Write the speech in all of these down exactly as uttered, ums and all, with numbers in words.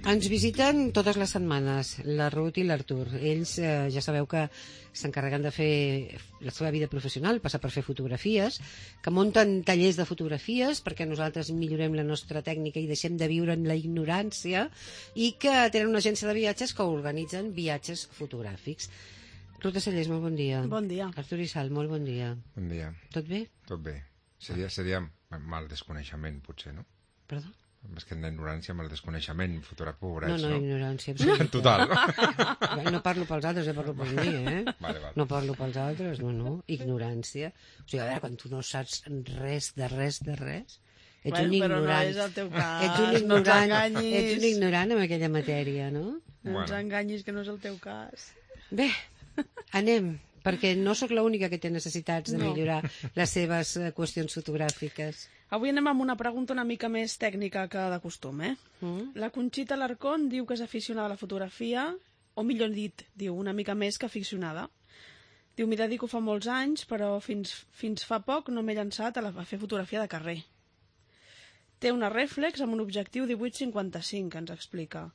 Ens visiten totes les setmanes la Ruth i l'Artur. Ells eh, ja sabeu que s'encarreguen de fer la seva vida professional, passar per fer fotografies, que munten tallers de fotografies perquè nosaltres millorem la nostra tècnica i deixem de viure en la ignorància, i que tenen una agència de viatges que organitzen viatges fotogràfics. Ruth de Cellers, molt bon dia. Bon dia. Artur Isal, molt bon dia. Bon dia. Tot bé? Tot bé. Seria, seria mal desconeixement, potser, no? Perdó? Més que en la ignorància, amb el desconeixement, fotògraf pobrets, no? no? No, no, ignorància absoluta. Total. No parlo pels altres, ja parlo per mi, eh? Vale, vale. No parlo pels altres, no, no. Ignorància. O sigui, a veure, quan tu no saps res de res de res, ets bueno, un ignorant. Però no és el teu cas. Ets un ignorant, no ens enganyis. ets un ignorant en aquella matèria, no? No ens bueno. enganyis, que no és el teu cas. Bé, anem, perquè no sóc l'única que té necessitats de millorar no. les seves qüestions fotogràfiques. Avui anem amb una pregunta una mica més tècnica que de costum, eh? Mm. La Conxita Larcón diu que és aficionada a la fotografia, o millor dit, diu una mica més que aficionada. Diu, m'hi dedico fa molts anys, però fins, fins fa poc no m'he llançat a, la, a fer fotografia de carrer. Té una rèflex amb un objectiu divuit cinquanta-cinc, ens explica,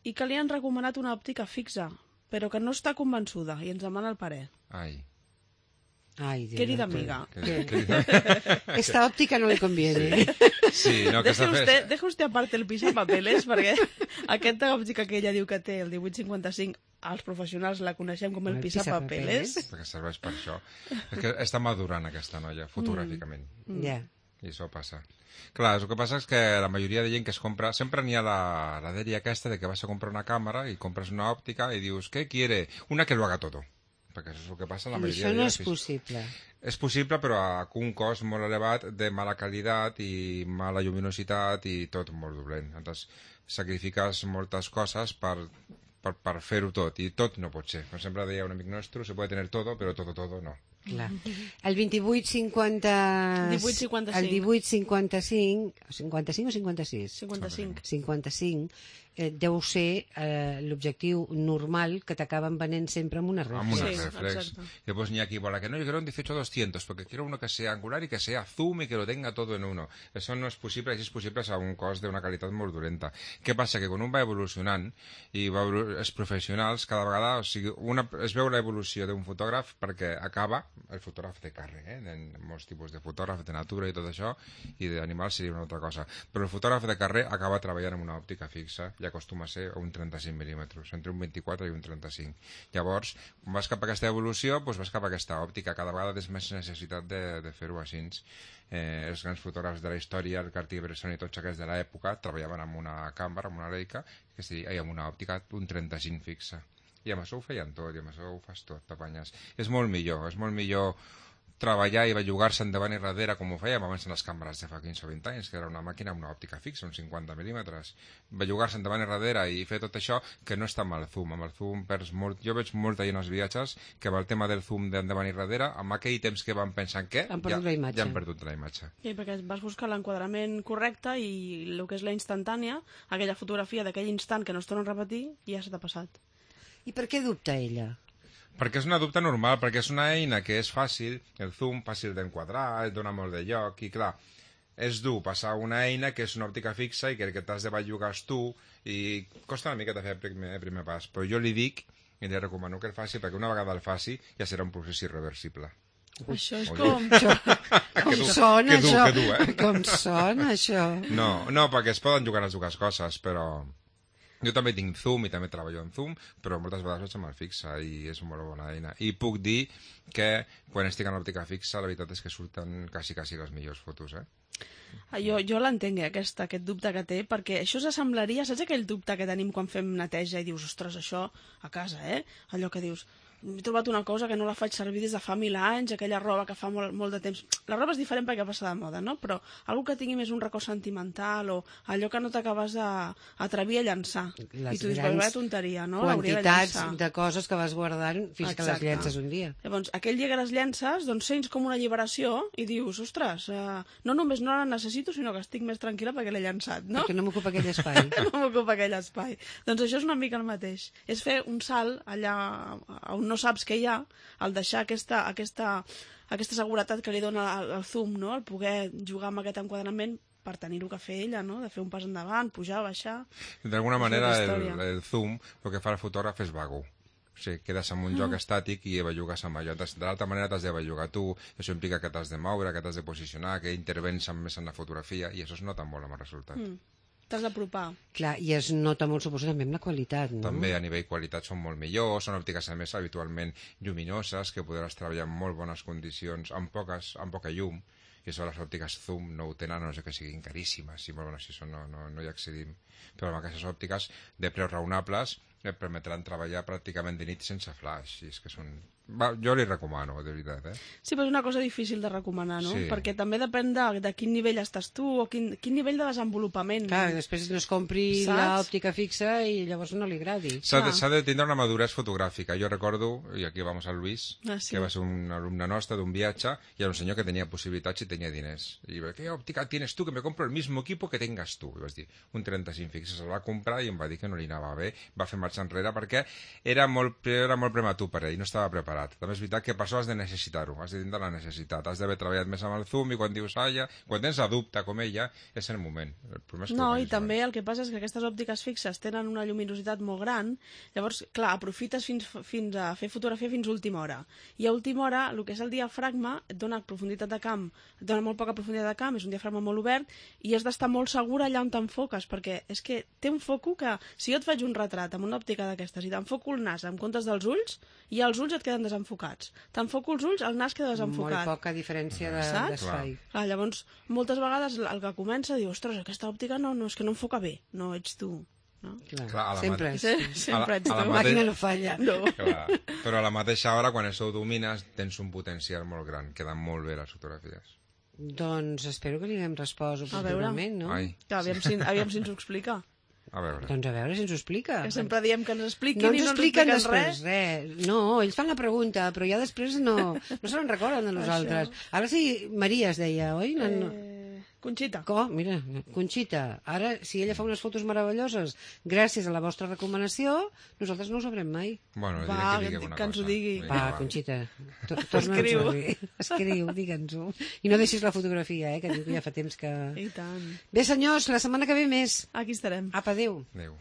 i que li han recomanat una òptica fixa, però que no està convençuda, i ens demana el parer. Ai. Ay, Dios. Querida amiga. ¿Qué? Esta óptica no le conviene. Sí, no, que deje, usted, deje usted aparte el pisapapeles, perquè aquesta òptica que ella diu que té, el divuit cinquanta-cinc, els professionals la coneixem com el, el pisapapeles. Perquè serveix per això. És que està madurant aquesta noia, fotogràficament. Mm. Yeah. I això passa. Clar, el que passa és que la majoria de gent que es compra... Sempre n'hi ha la, la dèria aquesta de que vas a comprar una càmera i compres una òptica i dius, què quiere? Una que lo haga todo. Perquè això és el que passa en la majoria això no de és possible. És possible, però a un cost molt elevat de mala qualitat i mala lluminositat i tot molt dolent. Llavors, sacrifiques moltes coses per, per, per fer-ho tot, i tot no pot ser. Com sempre deia un amic nostre, se puede tener todo, però todo, todo no. Clar. El vint-i-vuit cinquanta... divuit cinquanta-cinc. El divuit cinquanta-cinc... cinquanta-cinc o cinquanta-sis? cinquanta-cinc. cinquanta-cinc eh, deu ser eh, l'objectiu normal que t'acaben venent sempre amb una reflex. Amb una sí, reflex. exacte. Y después ni aquí, para que no, yo quiero un dieciocho doscientos, porque quiero uno que sea angular y que sea zoom y que lo tenga todo en uno. Eso no és possible, si és possible és a un cost d'una qualitat molt dolenta. Què passa? Que quan un va evolucionant i va evolu els professionals, cada vegada, o sigui, una, es veu l'evolució d'un fotògraf perquè acaba el fotògraf de càrrec, eh? En molts tipus de fotògraf de natura i tot això, i d'animals seria una altra cosa. Però el fotògraf de carrer acaba treballant amb una òptica fixa i acostuma a ser un trenta-cinc mil·límetres, entre un vint-i-quatre i un trenta-cinc. Llavors, quan vas cap a aquesta evolució, doncs vas cap a aquesta òptica. Cada vegada tens més necessitat de, de fer-ho així. Eh, els grans fotògrafs de la història, el Cartier-Bresson i tots aquests de l'època, treballaven amb una càmera, amb una Leica, que seria, i amb una òptica un trenta-cinc fixa. I amb això ho feien tot, i amb això ho fas tot, t'apanyes. És molt millor, és molt millor treballar i bellugar-se endavant i darrere com ho fèiem abans en les càmeres de fa quinze o vint anys, que era una màquina amb una òptica fixa, uns cinquanta mil·límetres. Bellugar-se endavant i darrere i fer tot això, que no està amb el zoom. Amb el zoom perds molt... Jo veig molta gent als viatges que amb el tema del zoom d'endavant i darrere, amb aquell temps que van pensant què, han perdut ja, la imatge. ja han perdut la imatge. Sí, perquè vas buscar l'enquadrament correcte i el que és la instantània, aquella fotografia d'aquell instant que no es torna a repetir, ja se t'ha passat. I per què dubta ella? Perquè és una dubte normal, perquè és una eina que és fàcil, el zoom fàcil d'enquadrar, et dona molt de lloc, i clar, és dur passar una eina que és una òptica fixa i que, que t'has de bellugar tu, i costa una mica de fer el primer, el primer pas, però jo li dic, i li recomano que el faci, perquè una vegada el faci ja serà un procés irreversible. Ui, això és Oye. com... Com dur, sona que dur, això? que dur, eh? Com sona això? No, no, perquè es poden jugar les dues coses, però... Jo també tinc zoom i també treballo en zoom, però moltes vegades vaig amb el fixa i és una molt bona eina. I puc dir que quan estic en l'òptica fixa la veritat és que surten quasi, quasi les millors fotos, eh? Jo, jo l'entenc, eh, aquest, aquest dubte que té, perquè això s'assemblaria, saps aquell dubte que tenim quan fem neteja i dius, ostres, això a casa, eh? Allò que dius, he trobat una cosa que no la faig servir des de fa mil anys, aquella roba que fa molt, molt de temps. La roba és diferent perquè passa de moda, no? Però algú que tingui més un record sentimental o allò que no t'acabes d'atrevir a llançar. Les I tu dius, vaya tonteria, no? Quantitats de, de coses que vas guardant fins Exacte. que les llences un dia. Llavors, aquell dia que les llences, doncs sents com una alliberació i dius, ostres, eh, no només no la necessito, sinó que estic més tranquil·la perquè l'he llençat, no? Perquè no m'ocupa aquell espai. no m'ocupa aquell espai. Doncs això és una mica el mateix. És fer un salt allà on no saps què hi ha, al deixar aquesta, aquesta, aquesta seguretat que li dona el, el zoom, no? El poder jugar amb aquest enquadrament per tenir-ho que fer ella, no? De fer un pas endavant, pujar, baixar... D'alguna manera, Això és el, història. el zoom, el que fa el fotògraf és vago. O sigui, quedes en un Ah. lloc estàtic i bellugues amb allò. T'has- De l'altra manera t'has de bellugar tu, això implica que t'has de moure, que t'has de posicionar, que intervens amb- més en la fotografia, i això es nota molt amb el resultat. Mm. T'has d'apropar. Clar, i es nota molt, suposo, també amb la qualitat, no? També a nivell qualitat són molt millors, són òptiques a més habitualment lluminoses, que podràs treballar en molt bones condicions, amb, poques, amb poca llum, i això les òptiques zoom no ho tenen, a no sé que siguin caríssimes, i molt bones, si això no, no, no hi accedim. Però amb aquestes òptiques de preus raonables et permetran treballar pràcticament de nit sense flash, i és que són... Va, jo li recomano, de veritat, eh? Sí, però és una cosa difícil de recomanar, no? Sí. Perquè també depèn de, de quin nivell estàs tu o quin, quin nivell de desenvolupament. Clar, després no es compri Saps? l'òptica fixa i llavors no li agradi. S'ha de, Clar. s'ha de tindre una maduresa fotogràfica. Jo recordo, i aquí vamos a Luis, Ah, sí. que va ser un alumne nostre d'un viatge, i era un senyor que tenia possibilitats i tenia diners. I va dir, ¿qué òptica tienes tú? Que me compro el mismo equipo que tengas tú. I vas dir, un trenta-cinc fixes. El va comprar i em va dir que no li anava bé. Va fer marxa enrere perquè era molt, era molt prematur per ell, no estava preparat. També és veritat que per això has de necessitar-ho, has de tindre la necessitat. Has d'haver treballat més amb el zoom i quan dius, ah, ja, quan tens la dubte com ella, és el moment. El problema és que No, ho i facis també abans. el que passa és que aquestes òptiques fixes tenen una lluminositat molt gran, llavors, clar, aprofites fins, fins a fer fotografia fins a última hora. I a última hora, el que és el diafragma, et dona profunditat de camp, et dona molt poca profunditat de camp, és un diafragma molt obert, i has d'estar molt segur allà on t'enfoques, perquè és que té un foco que, si jo et faig un retrat amb una òptica d'aquestes i t'enfoco el nas en comptes dels ulls, i els ulls et queden desenfocats. T'enfoco els ulls, el nas queda desenfocat. Molt poca diferència de- Saps? d'espai. Clar, llavors, moltes vegades el que comença diu, ostres, aquesta òptica no, no és que no enfoca bé, no ets tu. No? Clar, Clar, a la sempre. mate- és- Sempre ets a la tu. mate- Màquina no falla. No. Clar. Però a la mateixa hora, quan això ho domines, tens un potencial molt gran. Queden molt bé les fotografies. Doncs espero que li haguem respost A veure. oportunament, no? Ai, Clar, aviam si, aviam si ens ho explica. a veure. Doncs a veure si ens ho explica. Que sempre diem que ens expliquin No i ens no ens expliquen expliquen després res. res. No, ells fan la pregunta, però ja després no, no se n'en recorden de nosaltres. Ara sí, Maria es deia, oi? No, no. Eh, Conxita. Co, mira, Conxita, ara, si ella fa unes fotos meravelloses gràcies a la vostra recomanació, nosaltres no ho sabrem mai. Bueno, diré Va, que digui que- alguna que ens ho cosa. digui. Vinga, Va, Conxita, to- torna'ns-ho Escriu. a dir. Escriu, digue'ns-ho. I no deixis la fotografia, eh, que diu que ja fa temps que... I tant. Bé, senyors, la setmana que ve més. Aquí estarem. Apa, adéu. Adéu.